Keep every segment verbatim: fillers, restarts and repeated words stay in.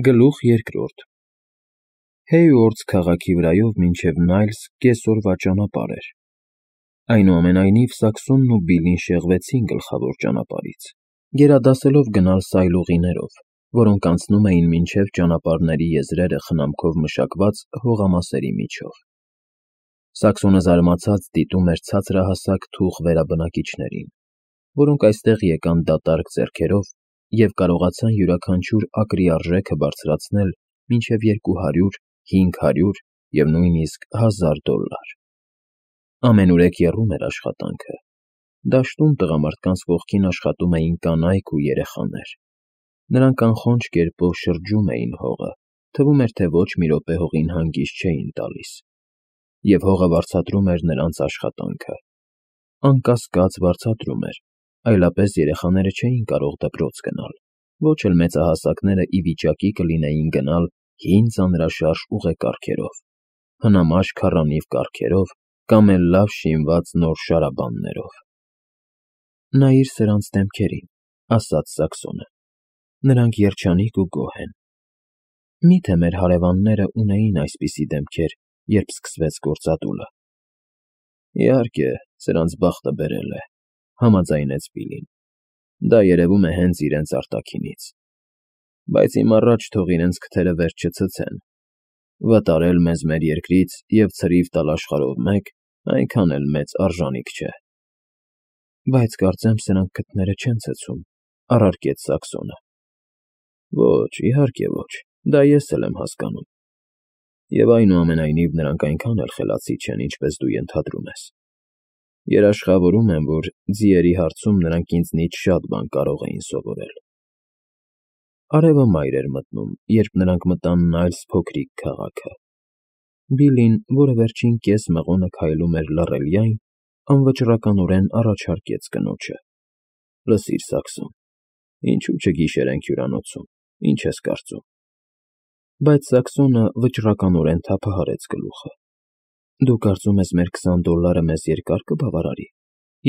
Գլուխ երկրորդ Հեյուորդս քաղաքի վրայով մինչև Նայլս կեսօրվա ճանապարհ էր։ Այնուամենայնիվ Սաքսոնն ու Բիլլին շեղվեցին գլխավոր ճանապարհից, գերադասելով գնալ սայլուղիներով, որոնք անցնում էին մինչև ճանապարհների եզրերը խնամքով մշակված հողամասերի միջով։ Սաքսոնը զարմացած դիտում էր ցածրահասակ թուխ վերաբնակիչներին, որոնք այստեղ եկան դատարկ ձեռքերով և կարողացան յուրաքանչյուր ակրի արժեքը բարձրացնել մինչև երկու հարյուր, հինգ հարյուր և նույնիսկ հազար դոլլար։ Ամենուրեք եռում էր աշխատանքը։ Դաշտում տղամարդկանց կողքին աշխատում էին կանայք ու երեխաներ։ Նրանք անխոնջ կերպով շրջում էին հողը, թվում էր, թե ոչ մի րոպե հողին հանգիստ չէին տալիս։ Եվ հողը վարձատրում էր նրանց աշխատանքը։ Անկասկած վարձատրում էր, այլապես երեխաները չէին կարող դպրոց գնալ, ոչ էլ մեծահասակները ի վիճակի կլինեին գնալ հին ծանրաշարժ ուղեկարգերով, հնամաշ քառանիվ կառքերով կամ էլ լավ շինված նոր շարաբաններով։ Նայիր սրանց դեմքերին, ասաց Սաքսոնը, նրանք երջանիկ ու գոհ են։ Մի՞թե մեր հարևանները ունեին այսպիսի դեմքեր, երբ սկսվեց գործադուլը։ Իհարկե, սրանց բախտը բերել է, համաձայնեց Բիլլին։ Դա երևում է հենց իրենց արտաքինից։ Բայց իմ առաջ թող իրենց քթերը վերջ չցցեն։ Վտարել մեզ մեր երկրից և ցրիվ տալ աշխարհով մեկ այնքան էլ մեծ արժանիք չէ։ Բայց կարծեմ սրանք քթները չեն ցցում, առարկեց Սաքսոնը։ Ոչ, իհարկե ոչ, դա ես էլ եմ հասկանում։ Եվ այնուամենայնիվ նրանք այնքան էլ խելացի չեն, ինչպես դու ենթադրում ես։ Երաշխավորում եմ, որ ձիերի հարցում նրանք ինձնից շատ բան կարող էին սովորել։ Արևը մայր էր մտնում, երբ նրանք մտան Նայլս փոքրիկ քաղաքը։ Բիլլին, որը վերջին կես մղոնը քայլում էր լռելյայն, անվճռականորեն առաջարկեց կնոջը. Լսիր, Սաքսոն, ինչու չգիշերենք հյուրանոցում, ինչ ես կարծում։ Բայց Սաքսոնը վճռականորեն թափահարեց գլուխը։ Դու կարծում ես մեր քսան դոլլարը մեզ երկար կբավարարի,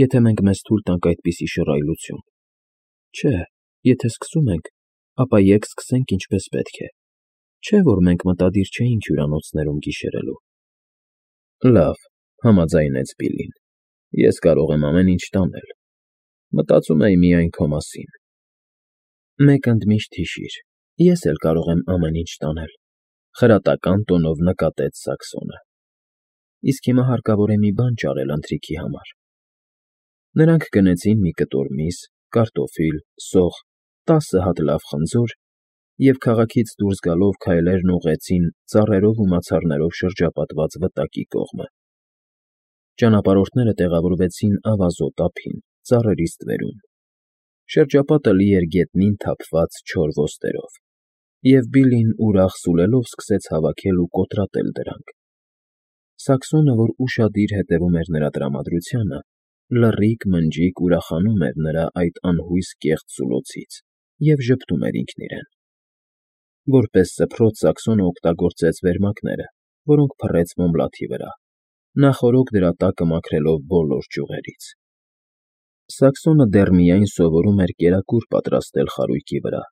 եթե մենք մեզ թույլ տանք այդպիսի շռայլություն։ Չէ, եթե սկսում ենք, ապա եկ սկսենք ինչպես պետք է։ Չէ՞ որ մենք մտադիր չէինք հյուրանոցներում գիշերելու։ Լավ, համաձայնեց Բիլլին, ես կարող եմ ամեն ինչ տանել։ Մտածում էի միայն քո մասին։ Մեկ ընդմիշտ հիշիր, ես էլ կարող եմ ամեն ինչ տանել, խրատական տոնով նկատեց Սաքսոնը։ Իսկ հիմա հարկավոր է մի բան ճարել ընթրիքի համար։ Նրանք գնեցին մի կտոր միս, կարտոֆիլ, սող, տասը հատ լավ խնձոր և քաղաքից դուրս գալով քայլերն ուղղեցին ծառերով ու մացառներով շրջապատված վտակի կողմը։ Ճանապարհորդները տեղավորվեցին ավազոտ ափին, ծառերից ստվերում։ Շրջապատը լի էր գետնին թափված չոր ոստերով, և Բիլլին ուրախ սուլելով սկսեց հավաքել ու կոտրատել դրանք։ Սաքսոնը, որ ուշադիր հետևում էր նրա տրամադրությանը, լռիկ֊մնջիկ ուրախանում էր նրա այդ անհույս կեղծ սուլոցից և ժպտում էր ինքն իրեն։ Որպես սփռոց Սաքսոնը օգտագործեց վերմակները, որոնք փռեց մոմլաթի վրա, նախօրոք դրա տակը մաքրելով բոլոր ճյուղերից։ Սաքսոնը դեռ միայն սովորում էր կերակուր պատրաստել խարույկի վրա,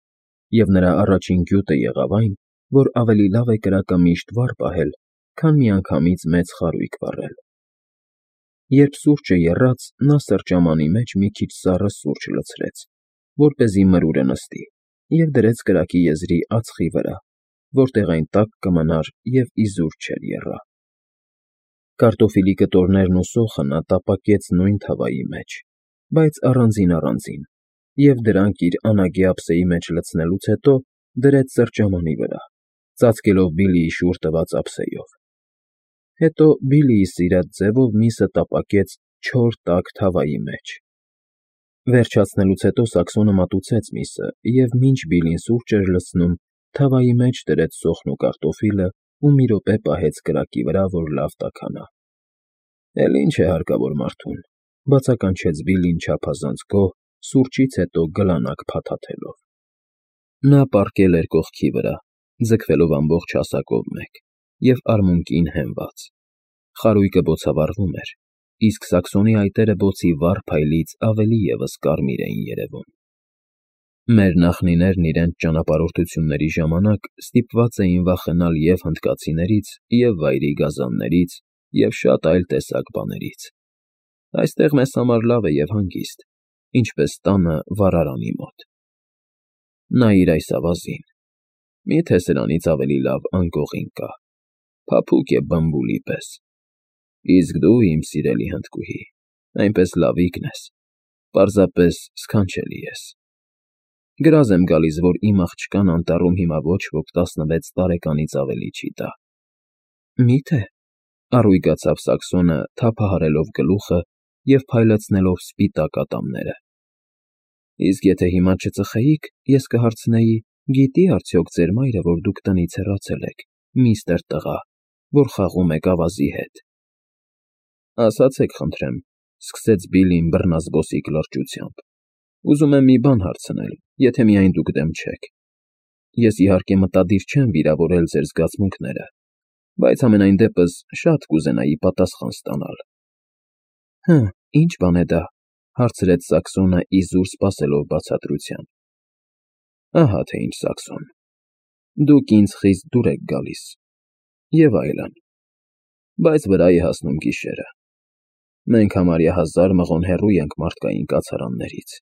և նրա առաջին գյուտը եղավ այն, որ ավելի լավ է կրակը միշտ վար պահել, քան միանգամից մեծ խարույկ վառել։ Երբ սուրճը եռաց, նա սրճամանի մեջ մի քիչ սառը սուրճ լցրեց, որպեսզի մրուրը նստի, և դրեց կրակի եզրի ածխի վրա, որտեղ այն տաք կմնար և իզուր չէր եռա։ Կարտոֆիլի կտորներն ու սոխը նա տապակեց նույն թավայի մեջ, բայց առանձին֊առանձին, և դրանք իր անագի ափսեի մեջ լցնելուց հետո դրեց սրճամանի վրա, ծածկելով Բիլլիի շուռ տված ափսեով։ Հետո Բիլլիի սիրած ձևով միսը տապակեց չոր տաք թավայի մեջ։ Վերջացնելուց հետո Սաքսոնը մատուցեց միսը և, մինչ Բիլլին սուրճ էր լցնում, թավայի մեջ դրեց սոխն ու կարտոֆիլը ու մի րոպե պահեց կրակի վրա, որ լավ տաքանա։ Էլ ի՞նչ է հարկավոր մարդուն, բացականչեց Բիլլին չափազանց գոհ, սուրճից հետո գլանակ փաթաթելով։ Նա պառկել էր կողքի վրա, ձգվելով ամբողջ հասակով մեկ և արմունկին հենված։ Խարույկը բոցավառվում էր, իսկ Սաքսոնի այտերը բոցի վառ փայլից ավելի ևս կարմիր էին երևում։ Մեր նախնիներն իրենց ճանապարհորդությունների ժամանակ ստիպված էին վախենալ և հնդկացիներից, և վայրի գազաններից, և շատ այլ տեսակ բաներից։ Այստեղ մեզ համար լավ է և հանգիստ, ինչպես տանը վառարանի մոտ։ Նայիր այս ավազին, մի՞թե սրանից ավելի լավ անկողին կա, փափուկ է բմբուլի պես։ Իսկ դու, իմ սիրելի հնդկուհի, այնպես լավիկն ես, պարզապես սքանչելի ես։ Գրազ եմ գալիս, որ իմ աղջկան անտառում հիմա ոչ ոք տասնվեց տարեկանից ավելի չի տա։ Մի՞թե, առույգացավ Սաքսոնը, թափահարելով գլուխը և փայլեցնելով սպիտակ ատամները։ Իսկ եթե հիմա չծխեիք, ես կհարցնեի. գիտի՞ արդյոք ձեր մայրը, որ դուք տնից հեռացել եք, միստր տղա, որ խաղում եք ավազի հետ։ Ասացեք խնդրեմ, սկսեց Բիլլին բռնազբոսիկ լրջությամբ, ուզում եմ մի բան հարցնել, եթե միայն դուք դեմ չեք։ Ես իհարկե մտադիր չեմ վիրավորել ձեր զգացմունքները, բայց համենայն դեպս շատ կուզենայի պատասխան ստանալ։ Հը, ի՞նչ բան է դա, հարցրեց Սաքսոնը իզուր սպասելով բացատրության։ Ահա թե ինչ, Սաքսոն, դուք ինձ խիստ դուր եք գալիս, և այլն, բայց վրա է հասնում գիշերը։ Մենք համարյա հազար մղոն հեռու ենք մարդկային կացարաններից,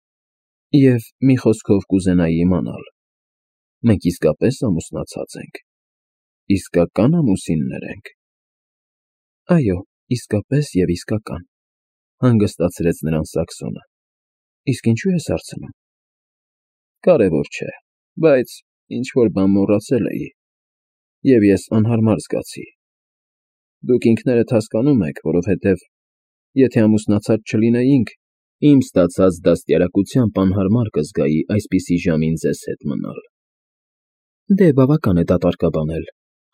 և մի խոսքով կուզենայի իմանալ. մենք իսկապե՞ս ամուսնացած ենք, իսկակա՞ն ամուսիններ ենք։ Այո, իսկապես և իսկական, հանգստացրեց նրան Սաքսոնը։ Իսկ ինչու ես հարցնում։ Կարևոր չէ, բայց ինչ֊որ բան մոռացել էի, և ես անհարմար զգացի։ Դուք ինքներդ հասկանում եք, որովհետև եթե ամուսնացած չլինեինք, իմ ստացած դաստիարակությամբ անհարմար կզգայի այսպիսի ժամին ձեզ հետ մնալ։ Դե բավական է դատարկաբանել,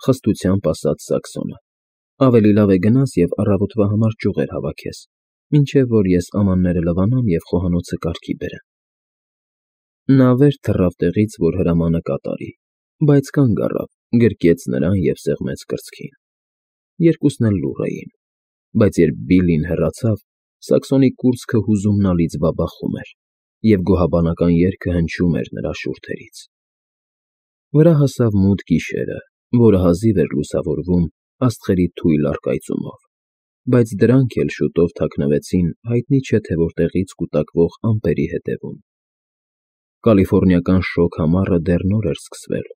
խստությամբ ասաց Սաքսոնը։ Ավելի լավ է գնաս և առավոտվա համար ճյուղեր հավաքես, մինչև որ ես ամանները լվանամ և խոհանոցը կարգի բերեմ։ Նա վեր թռավ տեղից, որ հրամանը կատարի, բայց կանգ առավ, գրկեց նրան և սեղմեց կրծքին։ Երկուսն էլ լուռ էին, բայց երբ Բիլլին հեռացավ, Սաքսոնի կուրծքը հուզումնալից բաբախում էր, և գոհաբանական երգը հնչում էր նրա շուրթերից։ Վրա հասավ մութ գիշերը, որը հազիվ էր լուսավորվում աստղերի թույլ առկայծումով, բայց դրանք էլ շուտով թաքնվեցին հայտնի չէ թե որտեղից կուտակվող ամպերի ետևում։ Կալիֆոռնիական շոգ ամառը դեռ նոր էր սկսվել,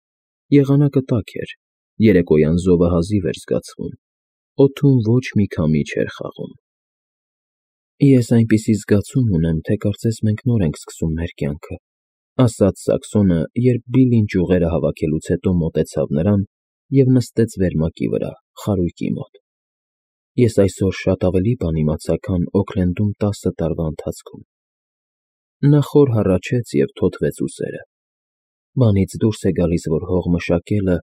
եղանակը տաք էր, երեկոյան զովը հազիվ էր զգացվում, օդում ոչ մի քամի չէր խաղում։ Ես այնպիսի զգացում ունեմ, թե կարծես մենք նոր ենք սկսում մեր կյանքը, ասաց Սաքսոնը, երբ Բիլլին ճյուղերը հավաքելուց հետո մոտեցավ նրան և նստեց վերմակի վրա, խարույկի մոտ։ Ես այսօր շատ ավելի բան իմացա, քան Օքլենդում տասը տարվա ընթացքում։ Նա խոր հառաչեց և թոթվեց ուսերը։ Բանից դուրս է գալիս, որ հող մշակելը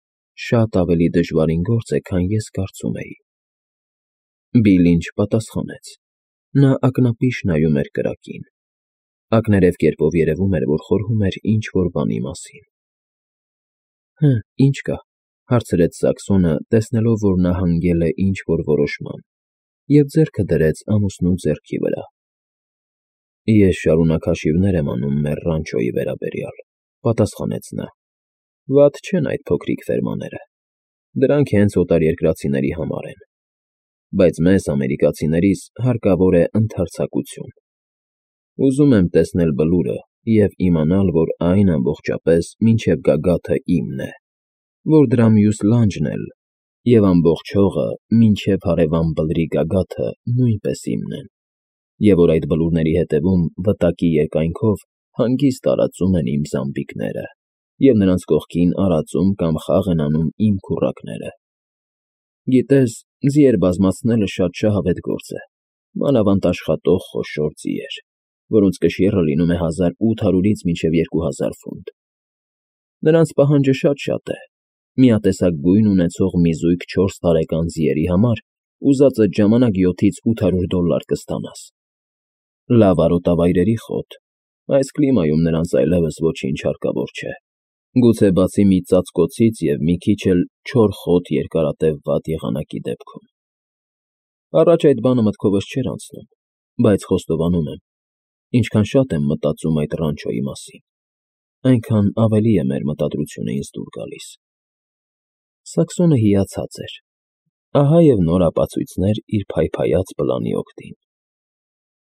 շատ ավելի դժվարին գործ է, քան ես կարծում էի։ Բիլլին չպատասխանեց։ Նա ակնապիշ նայում էր կրակին։ Ակներև կերպով երևում էր, որ խորհում էր ինչ֊որ բանի մասին։ Հը, ի՞նչ կա, հարցրեց Սաքսոնը, տեսնելով, որ նա հանգել է ինչ֊որ որոշման, և ձեռքը դրեց ամուսնու ձեռքի վրա։ Ես շարունակ հաշիվներ եմ անում մեր ռանչոյի վերաբերյալ, պատասխանեց նա։ Վատ չեն այդ փոքրիկ ֆերմաները, դրանք հենց օտարերկրացիների համար են, բայց մեզ, ամերիկացիներիս, հարկավոր է ընդարձակություն։ Ուզում եմ տեսնել բլուրը և իմանալ, որ այն ամբողջապես մինչև գագաթը իմն է, որ դրա մյուս լանջն էլ, և ամբողջ հողը մինչև հարևան բլրի գագաթը նույնպես իմն են, և որ այդ բլուրների ետևում, վտակի երկայնքով, հանգիստ տարածում են իմ զամբիկները, և նրանց կողքին արածում կամ խաղ են անում իմ քուռակները։ Գիտես, ձիեր բազմացնելը շատ շահավետ գործ է, մանավանդ աշխատող խոշոր ձիեր, որոնց կշիռը լինում է հազար ութ հարյուրից մինչև երկու հազար ֆունտ։ Նրանց պահանջը շատ֊շատ է, միատեսակ գույն ունեցող մի զույգ չորս տարեկան ձիերի համար ուզածդ ժամանակ յոթից ութ հարյուր դոլլար կստանաս։ Լավ արոտավայրերի խոտ, այս կլիմայում նրանց այլևս ոչինչ հարկավոր չէ, գուցե բացի մի ծածկոցից և մի քիչ էլ չոր խոտ երկարատև վատ եղանակի դեպքում։ Առաջ այդ բանը մտքովս չէր անցնում, բայց խոստովանում եմ, ինչքան շատ եմ մտածում այդ ռանչոյի մասին, այնքան ավելի է մեր մտադրությունը ինձ դուր գալիս։ Սաքսոնը հիացած էր, ահա և նոր ապացույցներ իր փայփայած պլանի օգտին։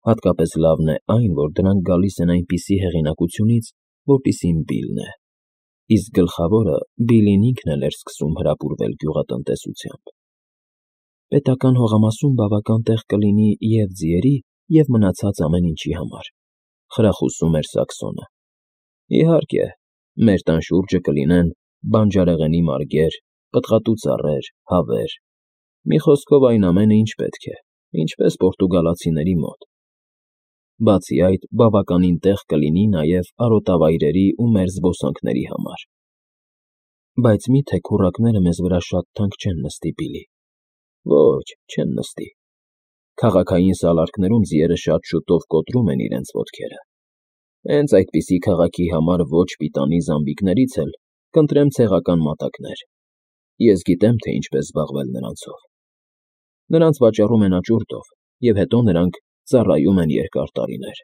Հատկապես լավն է այն, որ դրանք գալիս են այնպիսի հեղինակությունից, որպիսին Բիլն է, իսկ գլխավորը Բիլին ինքն էլ էր սկսում հրապուրվել գյուղատնտեսությամբ։ Պետական հողամասում բավական տեղ կլինի և՛ ձիերի, և՛ մնացած ամեն ինչի համար, խրախուսում էր Սաքսոնը։ Իհարկե, մեր տան շուրջը կլինեն բանջարեղենի մարգեր, պտղատու ծառեր, հավեր, մի խոսքով այն ամենը, ինչ պետք է, ինչպես պորտուգալացիների մոտ։ Բացի այդ, բավականին տեղ կլինի նաև արոտավայրերի ու մեր զբոսանքների համար։ Բայց մի՞թե քուռակները մեզ վրա շատ թանկ չեն նստի, Բիլլի։ Ոչ, չեն նստի։ Քաղաքային սալարկներում ձիերը շատ շուտով կոտրում են իրենց ոտքերը։ Հենց այդպիսի քաղաքի համար ոչ պիտանի զամբիկներից էլ կընտրեմ ցեղական մատակներ։ Ես գիտեմ, թե ինչպես զբաղվել նրանցով։ Նրանց վաճառում են աճուրդով, և հետո նրանք ծառայում են երկար տարիներ։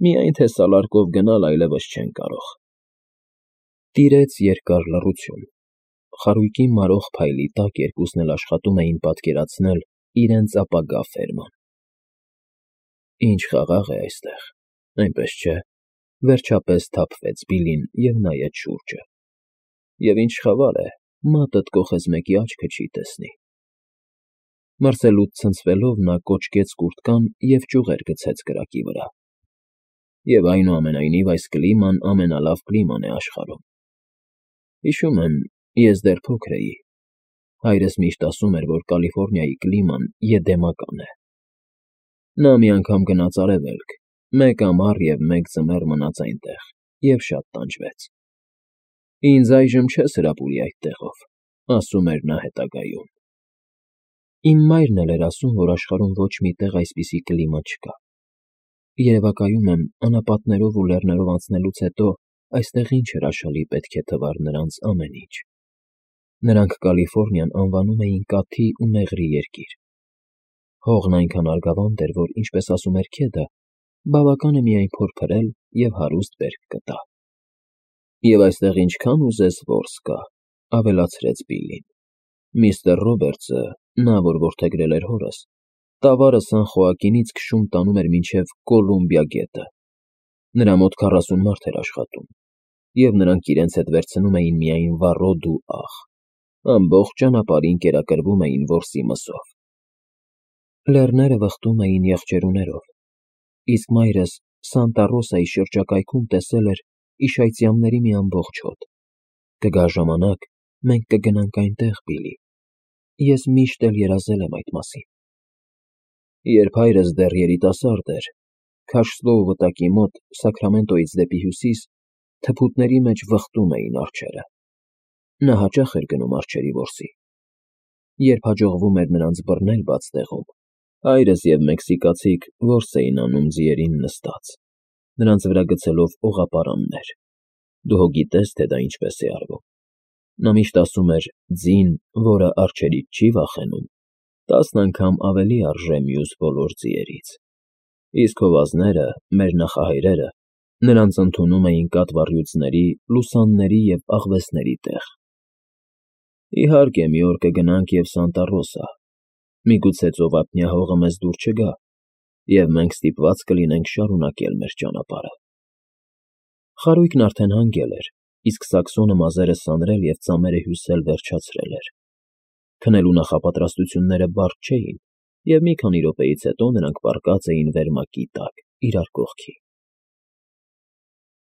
Միայն թե սալարկով գնալ այլևս չեն կարող։ Տիրեց երկար լռություն։ Խարույկի մարող փայլի տակ երկուսն էլ աշխատում էին պատկերացնել իրենց ապագա ֆերման։ Ինչ խաղաղ է այստեղ, այնպես չէ՞, վերջապես թափվեց Բիլլին և նայեց շուրջը։ Եվ ինչ խավար է, մատդ կոխես մեկի աչքը չի տեսնի։ Մրսելուց ցնցվելով նա կոճկեց կուրտկան և ճյուղեր գցեց կրակի վրա։ Եվ այնուամենայնիվ այս կլիման ամենալավ կլիման է աշխարհում։ Հիշում եմ, ես դեռ փոքր էի։ Հայրս միշտ ասում էր, որ Կալիֆոռնիայի կլիման եդեմական է։ Նա մի անգամ գնաց արևելք, մեկ ամառ և մեկ ձմեռ մնաց այնտեղ և շատ տանջվեց։ Ինձ այժմ չես հրապուրի այդ տեղով, ասում էր նա հետագայում։ Իմ մայրն էլ էր ասում, որ աշխարհում ոչ մի տեղ այսպիսի կլիմա չկա։ Երևակայում եմ, անապատներով ու լեռներով անցնելուց հետո այստեղ ինչ հրաշալի պետք է թվար նրանց ամեն ինչ։ Նրանք Կալիֆոռնիան անվանում էին կաթի ու մեղրի երկիր։ Հողն այնքան արգավանդ էր, որ, ինչպես ասում էր Քեդը, բավական է միայն փոր փրել և հարուստ բերք կտա։ Եվ այստեղ ինչքան ուզես որս կա, ավելացրեց Բիլլին։ Միստր Ռոբերտսը, նա, որ որդեգրել էր հորս, տավարը Սան Խոակինից քշում տանում էր մինչև Կոլումբիա գետը։ Նրա մոտ քառասուն մարդ էր աշխատում, և նրանք իրենց հետ վերցնում էին միայն վառոդ ու աղ, ամբողջ ճանապարհին կերակրվում էին որսի մսով։ Լեռները վխտում էին եղջերուներով, իսկ մայրս Սանտա Ռոսայի շրջակայքում տեսել էր իշայծյամների մի ամբողջ հոտ։ Կգա ժամանակ, մենք կգնանք այնտեղ, Բիլլի, ես միշտ էլ երազել եմ այդ մասին։ Երբ հայրս դեռ երիտասարդ էր, Քաշլոու վտակի մոտ, Սաքրամենտոյից դեպի հյուսիս, թփուտների մեջ վխտում էին արջերը։ Նա հաճախ էր գնում արջերի որսի։ Երբ հաջողվում էր նրանց բռնել բաց տեղում, հայրս և մեքսիկացիք որս էին անում ձիերին նստած, նրանց վրա գցելով օղապարաններ։ Դու հո գիտես, թե դա ինչպես է արվում։ Նա միշտ ասում էր. «Ձին, որը արջերից չի վախենում, տասն անգամ ավելի արժե մյուս բոլոր ձիերից»։ Իսկ հովազները, մեր նախահայրերը, նրանց ընդունում էին կատվառյուծների, լուսանների և աղվեսների տեղ։ Իհարկե, մի օր կգնանք և Սանտա Ռոսա, միգուցե ծովափնյա հողը մեզ դուր չգա, և մենք ստիպված կլինենք շարունակել մեր ճանապարհը։ Խարույկն արդեն հանգել էր, իսկ Սաքսոնը մազերը սանրել և ծամերը հյուսել վերջացրել էր։ Քնելու նախապատրաստությունները բարդ չէին, և մի քանի րոպեից հետո նրանք պառկած էին վերմակի տակ, իրար կողքի։